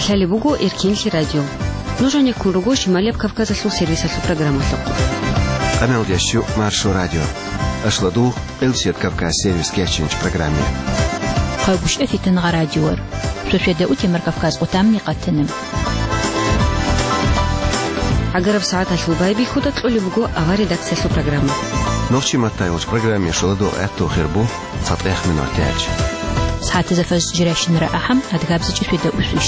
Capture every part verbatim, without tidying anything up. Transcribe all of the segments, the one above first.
Лъалеб буго Эркенлъи радио. Нуж гьанеккун руго Шималияб Кавказалъул сервисалъул программалъухъ. Къамел дящу Маршо радио. Ашладу Элсият Кавказ сервис кечинч программе. Хъайбушев Фитангъа радиор. Шошведа утемар Кавказ къутамни къатана. Агараб сагӀаталъул байбихьуда кьолеб буго авар редакциялъул программа. Нохчи маттайулч программе шуладу гӀатту хирбу. ЦатӀех минут тяч. СагӀатазда фаз жиращинара ахӀам, адгабзичӀи фида усвищ.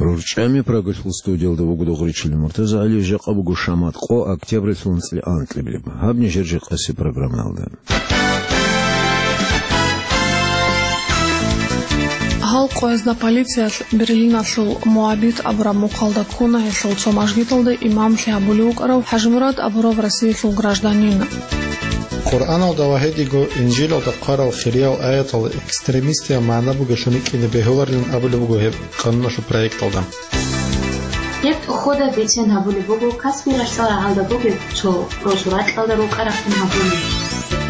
РорчӀами Прагалъул студиялда вуго Дугъричил Муртазагьали, жакъа буго шамат къо, октябралъул анцӀила анкьабилеб. Гьаб нижер жакъаси программаялда. Гьал къоязда полициялъ Берлиналъул Моабит абураб мухъалда ккуна гьелъул цо мажгиталда имамлъи гьабулев вукӀарав ХӀажимурад абурав Россиялъул гражданин. Къуръаналда ва гьедиго Инжилалда хъварал хириял аятал экстремистиял магӀна бугелъун рикӀкӀине бегьуларилан абулеб буго гьеб къануналъул проекталда. Гьеб тӀухьуда бицен гьабулеб буго Каспий ралъдал рагӀалда бугеб цо росу ракьалда рукъа рахъун гьабуни.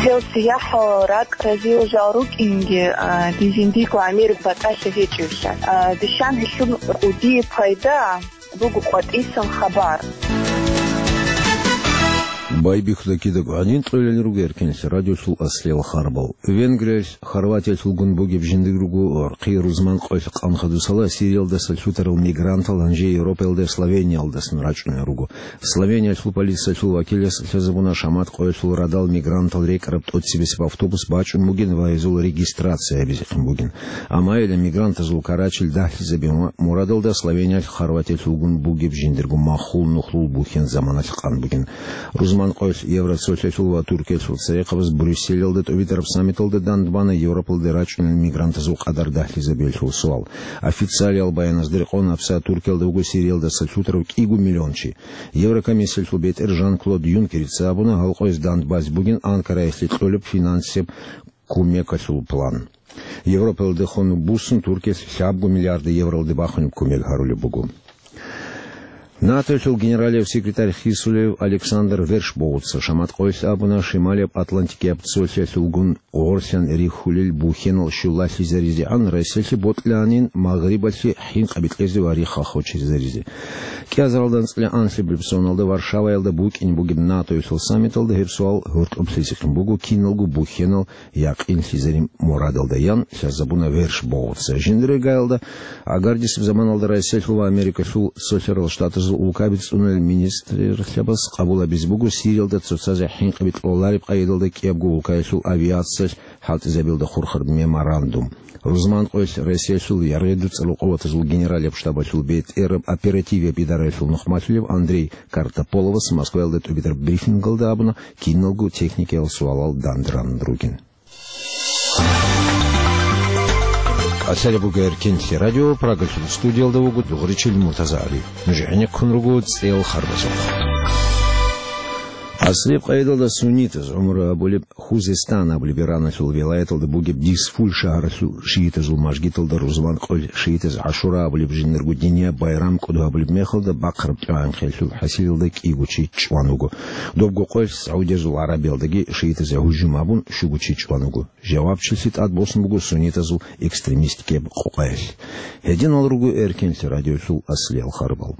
Гьев сияхӀ ракӀ разиял жал рукӀинги, а, дизиндиго гӀемер батӀалъи гьечӀевлъа. А, дишан гьелъул кӀудие пайда буго къватӀисан хабар. Байбихьуда кидаго гӀадин кьолел руго Эркенлъи радиолъул аслиял харбал. Венгриялъ Хорватиялъулгун бугеб жиндир руго гӀурхъи рузман къоялъ къан хадусала Сириялдаса лъутарал мигрантал гьанже Европаялда Словениялдасан рачӀунел руго. Словениялъул полициялъул вакилас лъазабуна шамат къоялъул радал мигрантал рекӀараб тӀоцебесеб автобус бачӀун бугин ва гьезул регистрация гьабизехъин бугин. Амма гьеле мигрантазул карачил дагьлъизабе ма-, мурадалда Словениялъ Хорватиялъулгун бугеб жиндирго махул нухлул бухьен заманалъ къан бугин. Рузман къоялъ Евроцолъиялъул ва Туркиялъул церехъабаз Брюсселалда тӀубитӀараб саммиталда дандбана Европалде рачӀунел мигрантазул къадар дагьлъизабиялъул суал. Официалиял баяназда рекъон, гьабсагӀат Туркиялда вуго Сириялдаса лъутарав кӀиго миллион чи. Еврокомиссиялъул бетӀер Жан-Клод Юнкерица абуна, гьал къояз дандбазе бугин Анкараялъе кьолеб финансияб кумекалъул план. Европалдехун буссун Туркиялъ лъабго миллиард евролде бахунеб кумек гьарулеб буго. НАТОялъул генералияб секретарь хисулев Александр Вершбоуца шамат къоялъ абуна, Шималияб Атлантикияб цолъиялъулгун гъорлъан рихьулел бухьенал щулалъизаризегӀан Россиялъе бокьанин Магърибалъе хӀинкъаби кьезе ва рихха хочезаризе. КӀиазаралда анцӀила анлъабилеб соналда Варшаваялда букӀин бугеб НАТОялъул саммиталда гьеб суал гьоркьоблъизехъин буго, киналго бухьенал якъинлъизарин мурадалда, ян лъазабуна Вершбоуца. Жиндир регоялда агардисеб заманалда Россиялъул ва Америкалъул Цолъарал Штатазул улкаби цӀунулел министрлъабаз къабул гьабизе буго Сириялда цоцазе хӀинкъаби кьолареб къайдалда кӀиябго улкаялъул авиациялъ хӀалтӀизабиялда хурхараб меморандум. Рузман къоялъ Россиялъул яргъи дуцӀарал къуватазул генералияб штабалъул бетӀераб оперативияб идараялъул нухмалъулев Андрей Картополовас Москваялда тӀубитӀараб брифингалда абуна, киналго техникиял суалал данде ранун ругин. Лъалеб буго Эркенлъи радио, Прагалъул студиялда вуго Дугъричил Муртазагьали. Нуж гӀенеккун руго цӀел харбазухъ. Аслияб къайдалда суннитаз гӀумру гьабулеб Хузестан абулеб Ираналъул вилаяталда бугеб Дизфуль шагьаралъул шиитазул мажгиталда рузман къоялъ шиитаз ГӀашура абулеб жиндирго динияб байрам кӀодо гьабулеб мехалда бахъараб тӀоянхъиялъул хӀасилалда кӀиго чи чӀван вуго. Добго къоялъ Саудиязул ГӀарабиялдаги шиитазе гьужум гьабун щуго чи чӀван вуго. Жавабчилъи тӀад босун буго суннитазул экстремистикияб къокъаялъ. Гьединал руго Эркенлъи радиолъул аслиял харбал.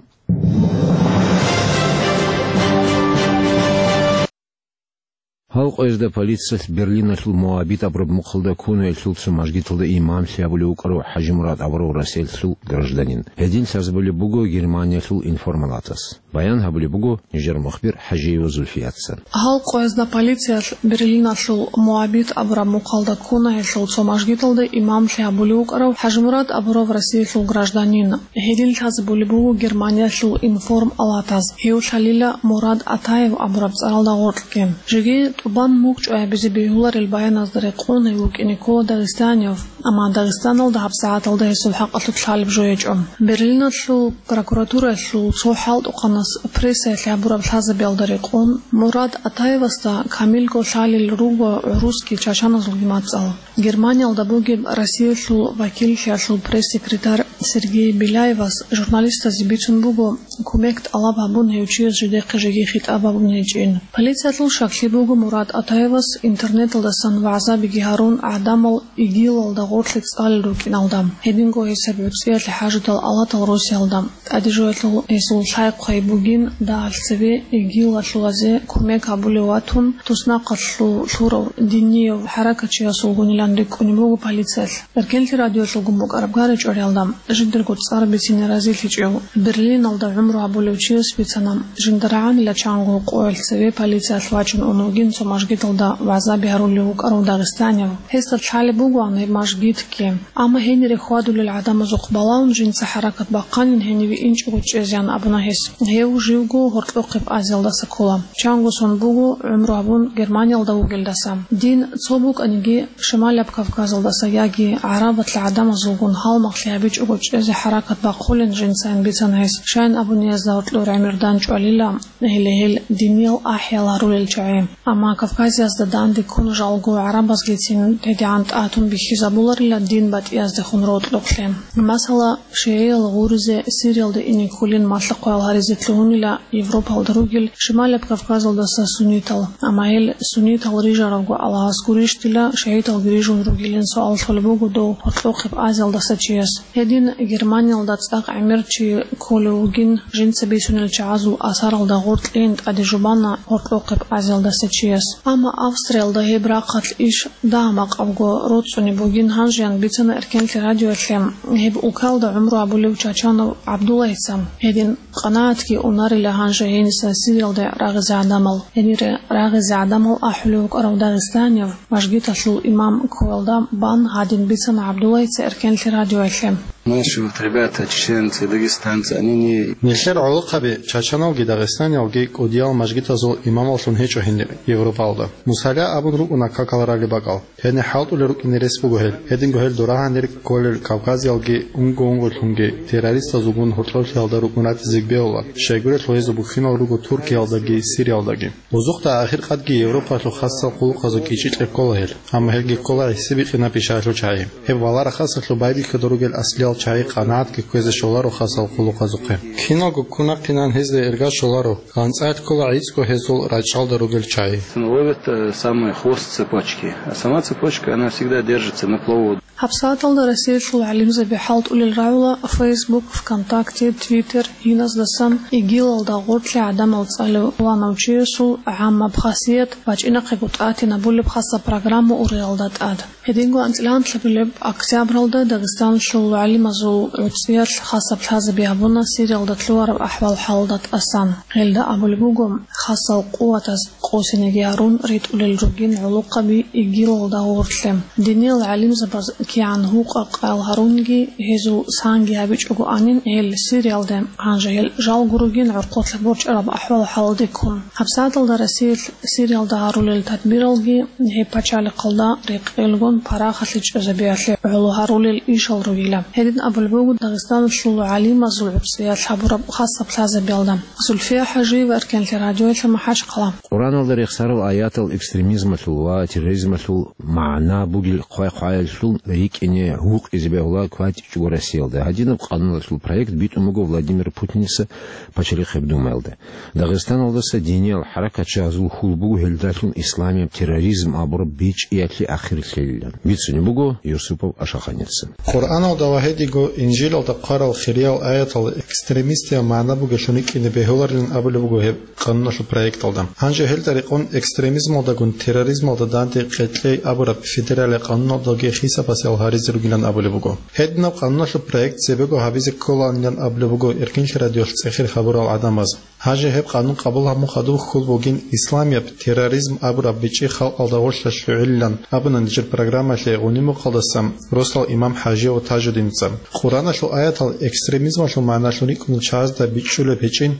Гьал къоязда полициялъ Берлиналъул Моабит абураб мухъалда ккунаялъул цо мажгиталда имамлъи гьабулев вукӀарав ХӀажимурад абурав Россиялъул гражданин. Гьедин лъазабулеб буго Германиялъул информалатас. Баян гьабулеб буго нижер мухбир ХӀажиева Зульфияца. Гьал къоязда полициялъ Берлиналъул Моабит абураб мухъалда ккунаялъул цо мажгиталда имамлъи гьабулев вукӀарав ХӀажимурад абурав Россиялъул гражданин. Гьедин лъазабулеб буго Германиялъул информалатаз, гьев лъалила Мурад Атаев абураб цӀаралда гъоркьги. Жеги тӀубан мугъ чӀвай гьабизе бегьуларел баяназда рекъон гьев вукӀине ккола дагъистанияб, амма Дагъистаналда гьабсагӀаталда гьесул хӀакъалъулъ лъалеб жо гьечӀо. Берлиналъул прокуратураялъул цо хӀалтӀухъанас прессаялъ гьабураб лъазабиялда рекъон, Мурад Атаевасда камилго лъалел руго гӀурусги чачаназулги мацӀал. Германиялда бугеб Россиялъул вакиллъиялъул пресс-секретарь Сергей Беляевас журналистазе бицун буго, кумек тӀалаб гьабун гьев чияс жидехъе жеги хитӀаб гьабун гьечӀин. Полициялъул щаклъи буго Мурат Атаевас интернеталдасан вагӀзабиги гьарун гӀадамал ИГИЛалда гъорлъе цӀалел рукӀиналда. Гьединго гьесаб гӀуцӀиялъе хӀажудал алатал Русиялда. ТӀадежоялъул гьесул лъай-хъвай бугин дагьалъ цеве ИГИЛалъулазе кумек гьабулев ватун, туснахъалъул лъурав динияв хӀаракатчиясулгунилан рикӀкӀунеб буго полициялъ. Эркенлъи радиоялъулгун букӀараб гьари чӀвариялда жидерго цӀар бицине разилъичӀев Берлиналда гӀумру гьабулев чияс бицана, жинда рагӀанила чанго къоялъ цеве полициялъ вачун ун вугин цо мажгиталда вагӀзаби гьарулев вукӀарав дагъистанияв. Гьесда лъалеб бугоан гьеб мажгитги. Амма гьенире хьвадулел гӀадамазухъ балагьун жинца хӀаракат бахъанин гьениве инчӀого чӀезеян абуна гьес. Гьев живго гьоркьохъеб Азиялдаса ккола. Чанго сон буго гӀумру гьабун Германиялда вугелдаса. Дин цо букӀаниги, Шималаб Кавказалдаса яги гӀарабалъ гӀадамазулгун гьалмагълъи гьабичӀого чӀезе хӀаракат бахъулин жинцайин бицана гьес. Щайин абуни гьезда гьоркьор гӀемер данчӀвалила, гьеле гьел диниял ахӀиял гьарулел чагӀи. Амма Кавказиязда данде ккун жалго гӀарабазгицин тедегӀан тӀатун бихьизабуларила дин батӀияздехун рокьукълъи. Масала, шигӀиял гъуризе Сириялда ине кколин малъа-хъваял гьаризе лъугьунила Европалда ругел Шималаб Кавказалдаса суннитал. Амма гьел суннитал рижарабго Аллагьас гурищ дила, шигӀиталги рижун ругилин суал лъолеб буго дов гьоркьохъеб Азиялдаса чияс. Гьедин Германиялда цӀакъ гӀемер чи кколев вугин, жинца бицунел чагӀазул асаралда гъоркьейин тӀаде жубана гьоркьохъеб Азиялдаса чияс. Амма Австриялда гьеб рахъалъ иш дагьа-макъабго роцӀцӀунеб бугин гьанжеян бицана Эркенлъи радиоялъе гьеб улкалда гӀумру гьабулев Чачанов ГӀабдуллайица. Гьедин къанагӀатги унарила гьанже гьениса Сириялде рагъизе гӀадамал. Гьенире рагъизе гӀадамал ахӀулев вукӀарав дагъистанияв, мажгиталъул имам ккоялда бан гьадин бицана ГӀабдуллайица Эркенлъи радиоялъе. Наши вот ребята, чеченцы, дагестанцы, они не... Нилъер гӀолохъаби, чачаналги дагъистаниялги кӀудиял мажгитазул имамаллъун гьечӀо гьенир Европалда. Мусала абун рукӀуна какал ралеб бакӀал. Гьенир хӀалтӀулел рукӀине рес буго гьел. Гьединго гьел дора гьанир кколел Кавказиялги унго-унгоялъунги террористазулгун гьоркьоблъиялда рукӀун ратизе бегьула, щайгурелъул гьезул бухьинал руго Туркиялдаги Сириялдаги. Бузухъда ахиркъадги Европалъул хасал хъулухъазул кӀичӀи кьеккола гьел, амма гьелги ккола гӀисибикьинаб пишаялъул чагӀи. Гьеб валарахъасалъул байбихьуда ругел аслиял чагӀи къанагӀатги кквезе щоларо хасал хъулухъазухъе. Киналго ккун ахъинан гьезда ирга щоларо, гъанцӀа ккола гӀицӀго гьезул рачӀалда ругел чагӀи. Ловят, э, самый хвост цепочки, а сама цепочка, она всегда держится на плаву. ГьабсагӀаталда Россиялъул гӀалимзаби хӀалтӀулел рагӀула Facebook, ВКонтакте, Twitter, гьиназдасан ИГИЛалда гъоркье гӀадамал цӀалев пуланав чиясул гӀаммаб хасият бачӀинахъего тӀатинабулеб хасаб программа ургъиялда тӀад. Гьединго анцӀила анлъабилеб октябралда Дагъистаналъул гӀалимазул гӀуцӀиялъ хасаб лъазаби гьабуна Сириялда лъугьараб ахӀвал-хӀалалда тӀасан. Гьелда абулеб буго, хасал къуватаз къосинеги гьарун ритӀулел ругин гӀолохъаби ИГИЛалда гъорлъе. Диниял гӀалимзабаз кигӀан гьукъа-къаял гьарунги, гьезул санги гьабичӀогоанин гьел Сириялде, гьанже гьел жалго ругин гӀорхъолъа борчӀараб ахӀвал-хӀалалде ккун. ГьабсагӀаталда Россиялъ Сириялда гьарулел тадбиралги гьеб пачалихъалда рекъелгун парахалъе чӀезабиялъе гӀоло гьарулел ишал ругила. Гьедин абулеб буго Дагъистаналъул гӀалимазул гӀуцӀиялъ гьабураб хасаб лъазабиялда. Зульфия ХӀажиева, Эркенлъи радиоялъ, МахӀачхъала. Къуръаналда рехсарал аятал экстремизмалъул ва терроризмалъул магӀна бугел хъвай-хъваялъул рикӀкӀине гьукъизе бегьула кватӀичӀого Россиялда. Гьадинаб къануналъул проект битӀун буго Владимир Путиница Пачалихъеб Думаялда. Дагъистаналдаса диниял хӀаракатчагьазул хьул буго гьелдалъун исламияб терроризм абураб бичӀчӀиялъе ахир лъелилан. Бицунеб буго Юсупов Ашаханица. Къуръаналда ва гьединго Инжилалда хъварал хириял аятал экстремистиял магӀна бугелъун рикӀкӀине бегьуларилан абулеб буго гьеб къануналъул проекталда. Гьанже гьелда рекъон экстремизмалдагун терроризмалда данде къекълъей абураб федералияб къануналдаги хисабасел гьаризе ругилан абулеб буго. Гьединаб къануналъул проект цебего гьабизе кколаанилан абулеб буго Эркенлъи радиоялъ цӀехир хабурал гӀадамаз. Гьанже гьеб къанун къабул гьабун хадуб хьул бугин исламияб терроризм абураб бичӀчӀи халкъалда гъорлъа лъугӀилилан абуна нижер программалъе гъуни-мухъалдаса росдал имам ХӀажияв Тажудиница. Къуръаналъул аятал экстремизмалъул магӀналъун рикӀкӀунел чагӀазда бичӀчӀулеб гьечӀин,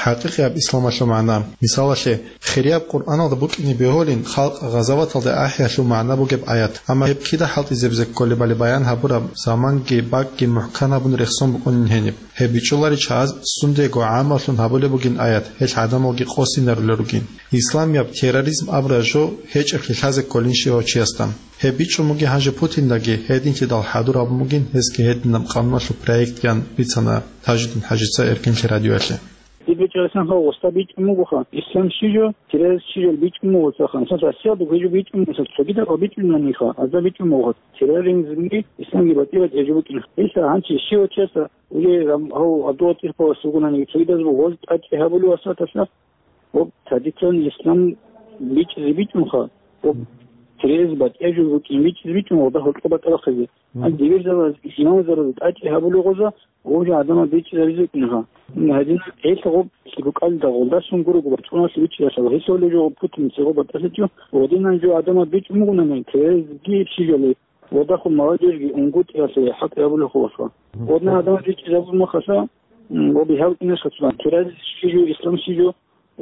ХӀакъикъияб исламалъул магӀна. Мисалалъе, хирияб Къуръаналда букӀине бегьулин халкъ гъазаваталда ахӀиялъул магӀна бугеб аят, амма гьеб кида хӀалтӀизабизе кколебали баян гьабураб заманги бакӀги мухӀкан гьабун рехсон букӀунин гьениб. Гьеб бичӀчӀуларищ гьаз сундего гӀаммалъун гьабулеб бугин аят, гьелъ гӀадамалги къосинарулел ругин. Исламияб терроризм абураб жо гьечӀеблъи лъазе кколин щивав чиясда. Гьеб бичӀчӀун бугин гьанже Путиндаги, гьединлъидал хӀадур гьабун бугин гьесги гьединаб къануналъул проектгиян бицана Тажидин ХӀажица Эркенлъи радиоялъе. Диб бичӀчӀарасан гьав гъоста бичӀчӀун бугоха, ислам щи жо, терроризм щи жо бичӀчӀун буго цахан. Мисал, Россиялда гьеб жо бичӀчӀун буго, мисал, цогидал гьеб бичӀчӀунани ха, аза бичӀчӀун буго. Терроризмги исламги батӀи-батӀи жо букӀин. Гьелъа гьанчи щивав чиясда, уже гьав Абдуллатиф Павловас вугонаниги, цогидаз буго гъоз тӀачӀи гьабулев асаталъа, ва традиционный ислам бичӀчӀизе бичӀчӀунха, ва терроризм батӀи жо букӀин бичӀчӀизе бичӀчӀун, ва дагьал кьо батӀа бахъизе. Гьанже дибирзабаз, имамзабаз тӀачӀи гьабулев гъоза, Гъужа гӀадамал бичӀчӀизабизе кӀунха. Гьадин, гьелъ гъоб лъикӀукӀалда гъолдасан гурого бачӀуналъе бичӀчӀиялъул гьелъулев жо Путин цӀигъо батӀалъичӀо, гъодинан жо гӀадамал бичӀчӀун бугонани, квезги щижали, ва дагьал молодежьги унгутӀиялъе хӀалтӀи гьабулев хулаха. Гъодна гӀадамал бичӀчӀизабун махалъа, м, ва бигьав кӀинеха цо, квез щижу, ислам щижу,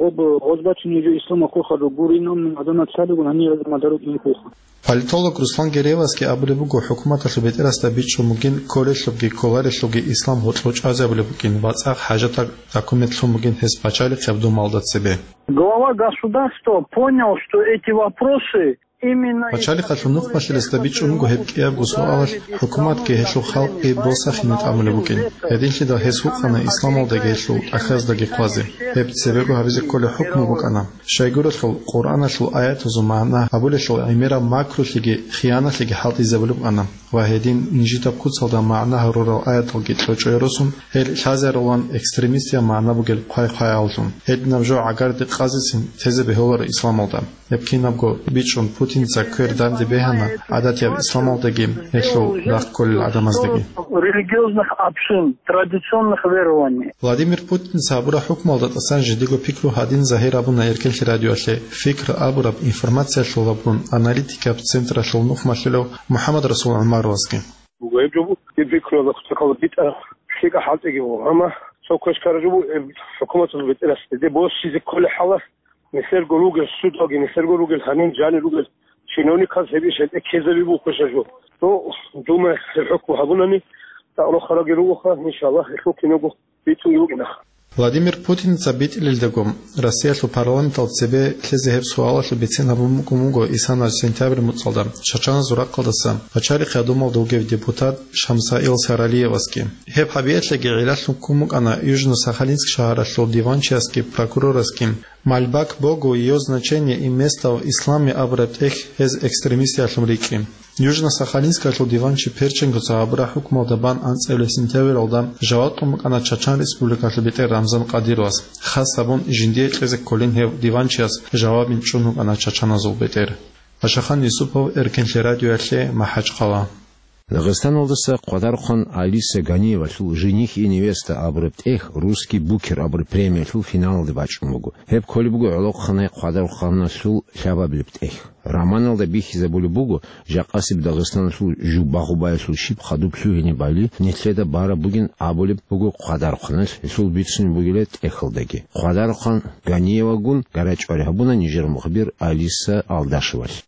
Об гъозбачун гьечӀо исламалъул хадуб гурин, амма гьадамал цалигун гьанир гьадамал дару кӀинхъулха. Политолог Руслан Гереевасги абулеб буго, хӀукуматалъул бетӀерасда бичӀчӀун бугин кколелъубги кколарелъубги ислам гьоркьов чӀвазе абулеб букӀин ва цӀакъ хӀажатаб документ лъун бугин гьес пачалихъияб думалда цебе. Глава государства понял, что эти вопросы Пачалихъалъул нухмалъиласда бичӀчӀун буго гьеб кӀиябго суалалъ, хӀукуматги гьелъул халкъги босахине тӀамулеб букӀин. Гьединлъидал гьес вукъана исламалдаги гьелъул тӀахьаздаги хъвазе. Гьеб цебего гьабизе кколеб хӀукму букӀана. Щайгурелъул Къуръаналъул аятазул магӀна гьабулелъул гӀемераб макрулъиги хияналъиги хӀалтӀизабулеб букӀана ва гьедин нижидаб куцалда магӀна гьарурал аяталги кьочӀое росун, гьел лъазарулан экстремистияб магӀна бугел хъвай-хъваялъун. Гьединаб жо гӀагарде къазесин тезе бегьуларо исламалда. Гьеб кинабго бичӀчӀун Путинца квер данде бегьана гӀадатияб исламалдаги гьелъул рахъ кколел гӀадамаздаги. Религиозных общин, традиционных верований. Владимир Путинца гьабураб хӀукмуялда тӀасан жиндиго пикру гьадин загьир абуна Эркенлъи радиоялъе «Фикр» абураб информациялъул абун аналитикаб централъул нухмалъулев МухӀаммад-Расул ГӀумаровасги. Буго гьеб жо буго, гьеб пикруялда кутакалда битӀараб лъикӀа хӀалтӀиги буго, амма цо квеш ккараб жо буго, гьеб хӀукуматалъул бетӀерас гьезде босизе кколеб хӀалалъ, нилъерго ругел судалги, нилъерго ругел гьанин жанир ругел чиновниказ гьеб иш гьезде ккезаби бухъе жо. Цо Дума гьеб хӀукму гьабунани, цӀакъ рохараги ругоха, иншаллагь, гьелъул кинабго битӀунги букӀинаха. Владимир Путинца битӀилелдаго, Россиялъул парламенталда цебе лъезе гьеб суалалъул бицен гьабун букӀун буго исана сентябрь муцӀалда Чачаназул рахъалдаса Пачалихъ гьадумалда вугев депутат Шамсаил Саралиевасги. Гьеб гьабиялъеги гӀиллалъун ккун букӀана Южно-Сахалинск шагьаралъул диванчиясги прокурорасги «Мольба к Богу, её значение и место в исламе» абураб тӀехь гьез экстремистиялъун рикӀкӀи. Южно-Сахалинскалъул диванчи Перченкоца гьабураб хӀукмуялда бан анцӀила сентябралда жаваб кьун букӀана Чачан Республикалъул бетӀер Рамзан Кадыровас. Хас гьабун, жиндие кьезе кколин гьев диванчияс жавабин чӀун вукӀана чачаназул бетӀер. Пашахан Юсупов, Эркенлъи радиоялъе, МахӀачхъала. Дагъистаналдаса Хъвадарухъан Алиса Ганиевалъул «Жених и невеста» абураб тӀехь «Русский букер» абураб премиялъул финалалде бачӀун буго. Гьеб кколеб буго гӀолохъанай Хъвадарухъаналъул лъабабилеб тӀехь. Романалда бихьизабулеб буго, жакъасеб Дагъистаналъул жуб багъубаялъул щиб хадуб лъугьине бали нилъеда бараб бугин абулеб буго Хъвадарухъаналъ гьелъул бицунеб бугила тӀехьалдаги. Хъвадарухъан Ганиевагун гарачӀвари гьабуна нижер мухбир Алиса Алдашевалъ.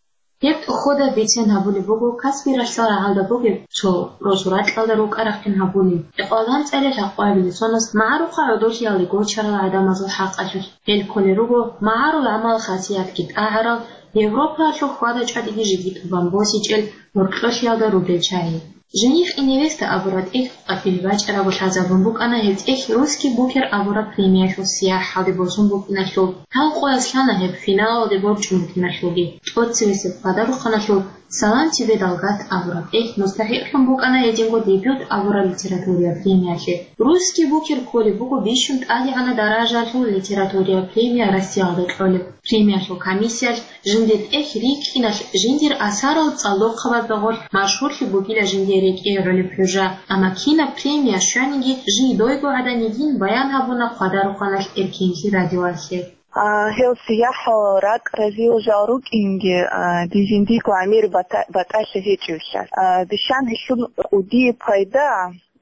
Гьеб тӀохьода бицен гьабулеб буго Каспи ралъдал рагӀалда бугеб цо росу ракьалда рукӀа-рахъин гьабулин, гӀикъвалда анцӀила лъакъоябилеб соназ магӀарухъа гӀодолъиялде гочарал гӀадамазул хӀакъалъулъ. Гьел кколел руго магӀарул гӀамал-хасиятги тӀагӀарал, Европаялъул хьвада-чӀвадиги жеги тӀубан босичӀел гьоркьолъиялда ругел чагӀи. «Жених и невеста» абураб тӀехь къватӀибе бачӀарабго лъазабун букӀана гьеб тӀехь «Русский букер» абураб премиялъул сияхӀалде босун букӀиналъул. Гьал къоялъ лъана гьеб финалалде борчӀун букӀиналъулги. ТӀоцевесеб Хъвадарухъаналъул «Салам тебе, Далгат» абураб тӀехь мустахӀикълъун букӀана гьединго «Дебют» абураб литератураялъул премиялъе. «Русский букер» кколеб буго бищун тӀадегӀанаб даражаялъул литератураялъул премия Россиялда кьолеб. Премиялъул комиссиялъ жиндир тӀехь рикӀкӀиналъ жиндир асарал цӀалдохъабазда гъорлъ машгьурлъи бугила жиндие рекӀее гӀолеб хӀужа. Амма кинаб премия щваниги, жидойго гӀадан йигин баян гьабуна Хъвадарухъаналъ Эркенлъи радиоялъе. А, гьев сияхӀал ракӀ разиял жал рукӀинги, а, дир жиндирго гӀемер бата-, батӀалъи гьечӀевлъа. А, дишан гьелъул кӀудияб пайда,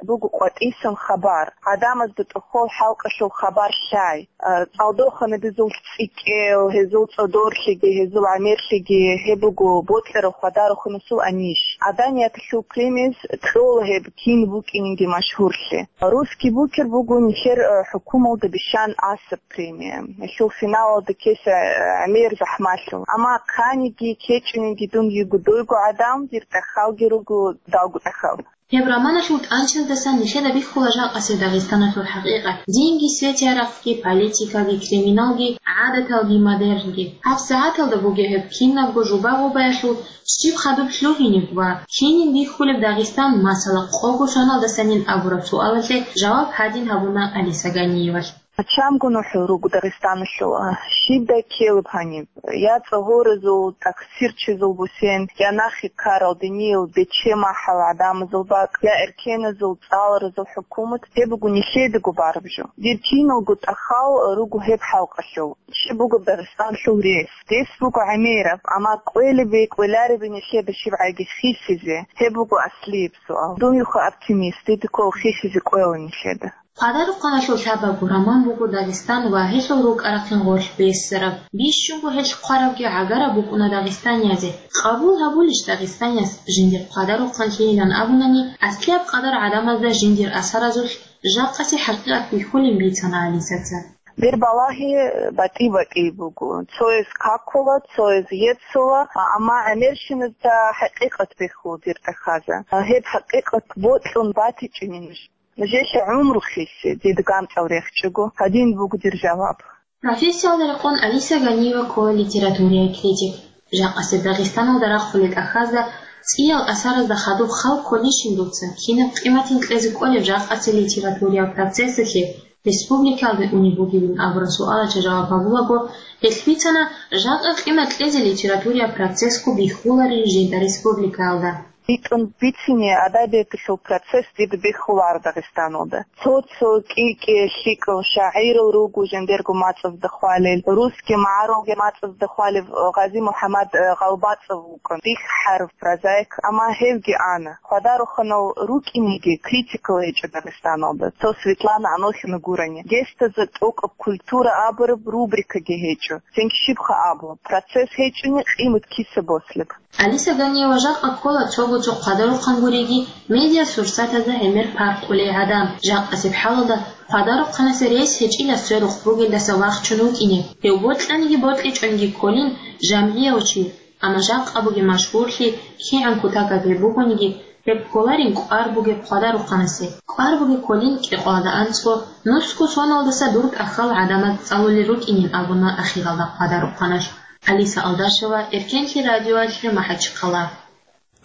Буго къватӀисан хабар, гӀадамазда тӀохол хӀалкъалъул хабар лъай, а, цӀалдоханабизул цӀикӀкӀел, гьезул цӀодорлъиги, гьезул гӀемерлъиги, гьеб буго бокьарав хвадарухъанасул анищ. Гьаданияталъул премияз кьола гьеб кин букӀининги машгьурлъи. Русский букер буго нилъер, а, хӀукумалда бищан асаб премия. Гьелъул финалалда ккеса, а, гӀемер захӀмалъул. Амма хъаниги ккечӀониги дун йиго дойго гӀадам, дир тӀахьалги руго далго тӀахьал. Гьеб романалъул тӀанчаздасан нилъеда бихьула жакъасеб Дагъистаналъул хӀакъикъат, динги, свети-арахъги, политикаги, криминалги, гӀадаталги, модернги. ГьабсагӀаталда бугеб гьеб кинабго жуба-гъубаялъул щиб хадуб лъугьинеб ва кинин бихьулеб Дагъистан, масала, къого соналдасанин абураб суалалъе жаваб гьадин гьабуна Алиса Ганиевалъ. Чамго нухӀул руго Дагъистаналъул, а, щибдай ккелеб гьаниб? Я цӀогьоразул, таксирчизул бусен, я нахъе ккарал диниял бече-махӀал гӀадамазул бакӀ, я эркеназул, цӀаларазул хӀукумат, гьеб буго нилъедаго бараб жо. Дир киналго тӀахьал руго гьеб хӀалкъалъул. Щиб буго Дагъистаналъул рес? Рес буго гӀемераб, амма кӀвелебе, кӀвеларебе нилъеда щибгӀаги хисизе? Гьеб буго аслияб суал. Дун юха оптимист, дида ккола хисизе кӀвела нилъеда. Хъвадарухъаналъул лъабабго роман буго Дагъистан ва гьелъул рукӀа-рахъин гъорлъ бессараб. Бищунго гьелъ хъварабги гӀагараб букӀуна дагъистаниязе. Къабул гьабулищ дагъистанияс жиндир хъвадарухъанлъийилан абунани, аслияб къадар гӀадамазда жиндир асаразулъ жакъасе хӀакъикъат бихьулин бицана Алисаца. Дир балагьи батӀи-батӀи буго. Цояз какула, цояз еццула, амма гӀемерщиназда хӀакъикъат бихьула дир тӀахьазда. Гьеб хӀакъикъат бокьун батичӀони нуж. Нужее гӀумру хиссе, дида гамцӀал рехчӀого, гьадин буго дир жаваб. Профессиялда рекъон Алиса Ганиева ккола литературияй критик. Жакъасеб Дагъистаналда рахъулел тӀахьазда, цӀиял асаразда хадуб хал кколищин дуца, кинаб къиматин кьезе кӀолеб жакъасеб литературиял процессалъе республикаялде унеб бугебин абураб суалалъе жаваб гьабулаго, гьелъ бицана, жакъа къимат кьезе литературиял процессго бихьуларин жинда республикаялда. БитӀун бицине, адабияталъул процесс дида бихьуларо Дагъистаналда. Цо-цо кӀи-кӀи лъикӀал шагӀирал руго жиндирго мацӀазда хвалел, русский магӀарулги мацӀазда хвалев Гъази МухӀаммад, э, ГъалбацӀов вукӀун, бихьарав прозаик, амма гьевги ана. Хъвадарухъанал рукӀинеги критикал гьечӀо Дагъистаналда, цо Светлана Анохина гурони. Гестазда тӀокӀаб культура абураб рубрикаги гьечӀо. Цинги щибха абу, процесс гьечӀони, къимат киса бослеб? Алиса Ганиева жакъа ккола цого-цо хъвадарухъан гуриги, медиасурсатазда гӀемер паркъулей гӀадам. Жакъасеб хӀалалда хъвадарухъанасе рес гьечӀила сверухъ бугелдаса вахчун вукӀине. Гьев бокьаниги бокьичӀониги кколин жамгӀияв чи, амма жакъа бугеб машгьурлъи кигӀан кутакаб гьеб бугониги, гьеб кколарин кӀвар бугеб хъвадарухъанасе. КӀвар бугеб кколин кӀикъоялда анцӀго, нусго соналдаса дур тӀахьал гӀадамаз цӀалулел рукӀинин абуна ахиралда хъвадарухъаналъ. Алиса Алдашева, Эркенлъи радиоялъе, МахӀачхъала.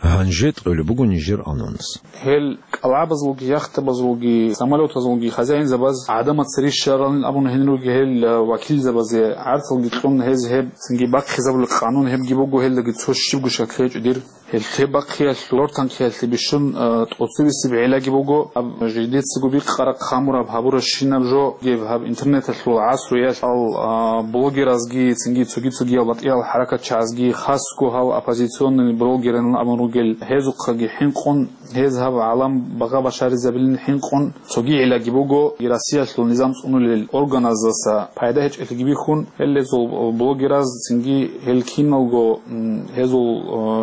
Гьанже тӀолеб буго нижер анонс. Гьел кӀалгӀабазулги, яхтабазулги, самолетазулги хозяинзабаз гӀадамаца рищаралин абун гьенир руги гьел, э, вакилзабазе гӀарцалги кьун гьез гьеб цинги бахъизабулеб къанун гьебги буго, гьелдаги цо щибго шакли гьечӀо дир. Гьелъе бахъиялъул рортанхъиялъе бищун, э, тӀоцебесеб гӀиллаги буго, гьаб жидецаго бикъараб, хъамураб, гьабурабщинаб жо гьеб гьаб интернеталъул гӀасруялъ, э, блогеразги, цинги цоги-цогиял батӀиял хӀаракатчагӀазги, хасго гьал оппозиционный блогерин абун ругел, гьезухъаги хӀинкъун, гьез гьаб гӀалам багъа башаризабилин хӀинкъун, цоги гӀиллаги буго, Россиялъул низам цӀунулел органаздаса пайда гьечӀелъиги бихьун, гьел гьезул блогераз цинги гьел киналго, м, гьезул,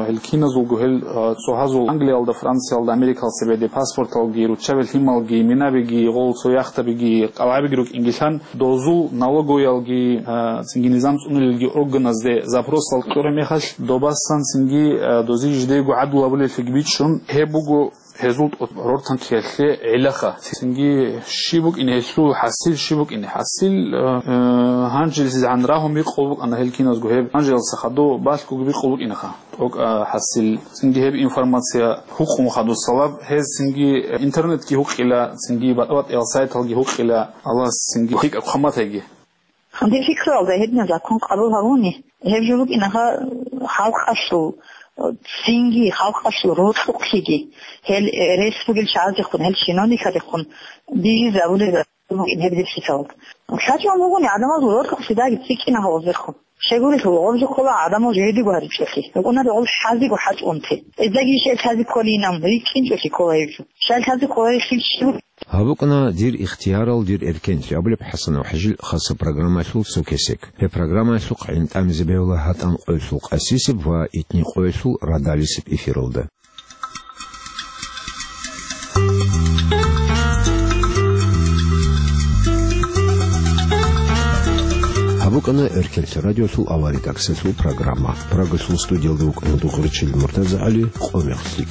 э, гьел киназулго гьел, э, цӀогьазул Англиялда, Франциялда, Америкалда цебеде паспорталги, руччаби лъималги, минабиги, гъол цо яхтабиги, кӀалгӀабиги рукӀингилан, дозул налоговыялги, э, цинги низам цӀунулелги органазде запросал кьураб мехалъ, добасан цинги, э, дозе жидего гӀадлу гьабулеллъиги бичӀчӀун, гьеб буго гьезул тӀо-, рортанхъиялъе гӀилаха. Цинги щиб букӀине гьелъул хӀасил, щиб букӀине хӀасил, э, э, гьанжелъизегӀан рагьун бикъулеб букӀана гьел киназго гьеб. Гьанжелалдаса хадув балъгоги бикъулеб букӀинаха. ТӀокӀ, э, хӀасил. Цинги гьеб информация гьукъун хадусалаб, гьез цинги, э, интернетги гьукъила, цинги батӀа-батӀиял сайталги гьукъила, Аллагьас цинги лъикӀаб хъван батайги. Гьанже пикруялда гьединаб закон къабул гьабуни, гьеб жо букӀинаха халкъалъул, цинги халкъалъул рокьухълъиги, гьел, э, рес бугел чагӀаздехун, гьел чиновниказдехун бижизабулеб закон букӀин гьеб дирсисал. ЛъачӀун бугони гӀадамазул рокьухълъи даги цӀикӀкӀинаха гьезухъ. Щайгурелъул гъобжухъула гӀадамал жо гьедиго гьаричӀолъи, рукӀунаре гъол хӀазиго хӀачӀунти. Эздаги ишел лъази кколинан, рикӀкӀинчӀолъи ккола гьеб жо. Щай лъази ккола гьелъул щиб? Гьаб букӀана «Дир ихтиярал, дир эркенлъи» абулеб ХӀасанов ХӀажил хаса программалъул цо кесек. Гьеб программаялъухъ гӀин тӀамизе бегьула гьатӀан къоялъул къасисеб ва итни къоялъул радалисеб эфиралда. Гьаб букӀана Эркенлъи радиолъул авария тӀакӀсалъул программа. Прагалъул студиялда вукӀана Дугъричил МуртазагӀали, къо мехалъ.